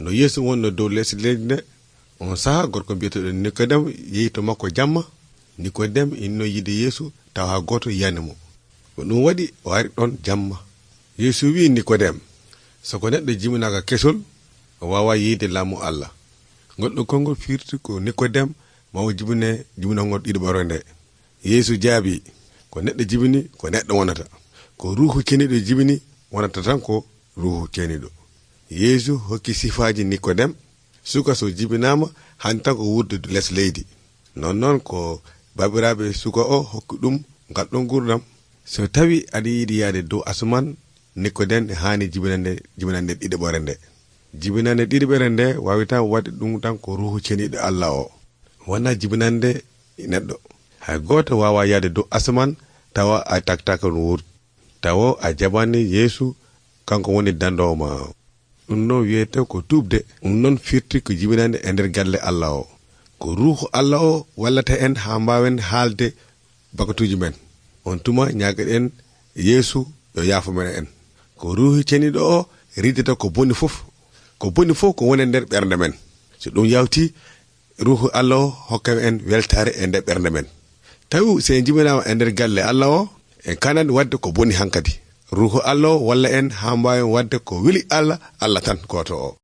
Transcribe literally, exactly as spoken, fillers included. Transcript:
no Yeesu wonno dow leydi nde on saha gorko biyeteɗo Nikodem yehi to makko jamma. Nikodem inno yide Yeesu taw ha goto yiyani mo, ko ɗum waɗi o ari ɗon jamma. Yeesu wi Nikodem, soko neɗɗo jiminaka kesol o wawa yiide laamu Allah. Goɗɗo konngol firti ko Nikodem mawo jibine jiminangol ɗiɗoɓore nde. Yeesu jaabi, ko neɗɗo jibini ko neɗɗo wonata, ko ruuhu ceniɗo jibini wonata tan ko ruuhu ceniɗo. Yeesu hokki sifaji Nikodem, suka so jibinama han tan ko wurde less leydi. Non noon ko babiraɓe suka o hokki ɗum ngal ɗon gurdam. So tawi aɗa yiɗi yaade dow asuman, Nikodem hani jibinande jibinande ɗiɗoɓore nde. Jibinande ɗiɗoɓere nde wawitan waɗi ɗum tan ko ruuhu ceniɗo Allah o, wona jibinande neɗɗo. Hay goto wawa yaade dow asuman tawa a taktaka no wurti, tawa a jabani Yeesu kanko woni dandowo ma. Ɗum ɗon wiyete ko tuubde. Ɗum noon firti ko jibinande e nder galle Allah o, ko ruuhu Allah o wallata en ha mbawen haalde bakatuji men. On tuma ñaagaɗen Yeesu yo yaafo men en. Ko ruuhu ceniɗo o riddata ko boni fof, ko boni fof ko woni nder ɓernde men. So ɗum yawti ruuhu Allah o hokka en weltare e nder ɓernde men. Tawi se jibinama e nder galle Allah o en kanani wadde ko boni hankadi. Ruuhu Allah o walla en ha mbawen wadde ko weli Allah Allah tan goto o.